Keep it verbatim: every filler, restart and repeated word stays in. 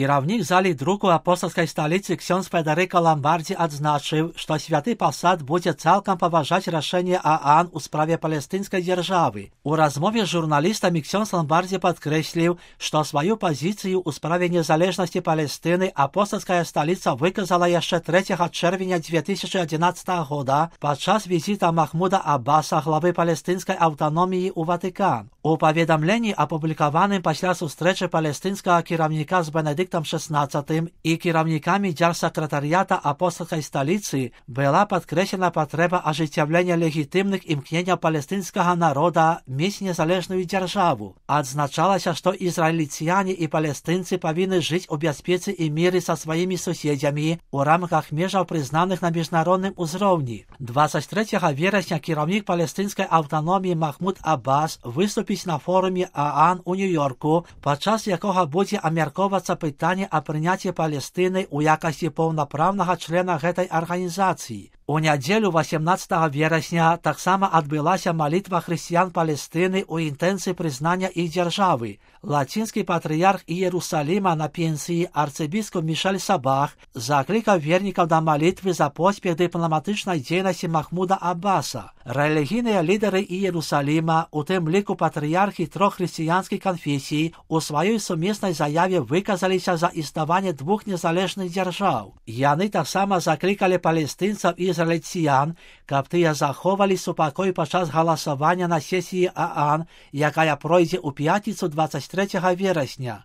Кіраўнік залі друку апостальскай сталіцы ксёндз Федэрыка Ламбардзі адзначыў, што святы пасад будзе цалкам паважаць рашэнне ААН у справе палестынскай дзяржавы. У размове з журналістамі ксёндз Ламбардзі падкрэсліў, што сваю пазіцыю ў справе незалежнасці Палестыны апостальская сталіца выказала яшчэ трэцяга чэрвеня дзве тысячы адзінаццатага года падчас візіта Махмуда Аббаса, главы палестынскай аўтаноміі ў Ватыкан. У паведамленні, апублікаваным пасля сустрэчы палестынскага кіраўніка з Бенедыктам шэснаццатым і кіраўнікамі дзярсакратарыята апостальскай сталіцы, была падкрэслена патрэба ажыццяўлення легітымных імкненняў палестынскага народа мець незалежную дзяржаву. Адзначалася, што ізраільцяне і палестынцы павінны жыць у бяспецы і міры са сваімі суседзямі у рамках межаў, прызнаных на міжнародным узроўні. дваццаць трэцяга верасня кіраўнік палестынскай аўтаноміі Махмуд Аббас выступіць на форуме ААН у Нью-Йорку, падчас якога будзе абмяркоўвацца пытанне о прыняцці Палестыны ў якасці паўнапраўнага члена гэтай арганізацыі. У нядзелю васемнаццатага верасня таксама адбылася малітва хрысціян Палестыны ў інтэнцыі прызнання іх дзяржавы. Лацінскі патрыярх Іерусаліма на пенсіі арцыбіскуп Мішель Сабах заклікаў вернікаў да малітвы за поспех дыпламатычнай дзейнасці Махмуда Аббаса. Рэлігійныя лідары Іерусаліма, у тым ліку патрыярхі трох хрысціянскіх канфесій, у сваёй сумеснай заяве выказаліся за існаванне двух незалежных дзяржаў. Яны таксама заклікалі палестынцаў і ізраільцян, каб тыя заховалі супакой падчас галасавання на сесіі ААН, якая пройдзе ў пятніцу дваццаць трэцяга верасня.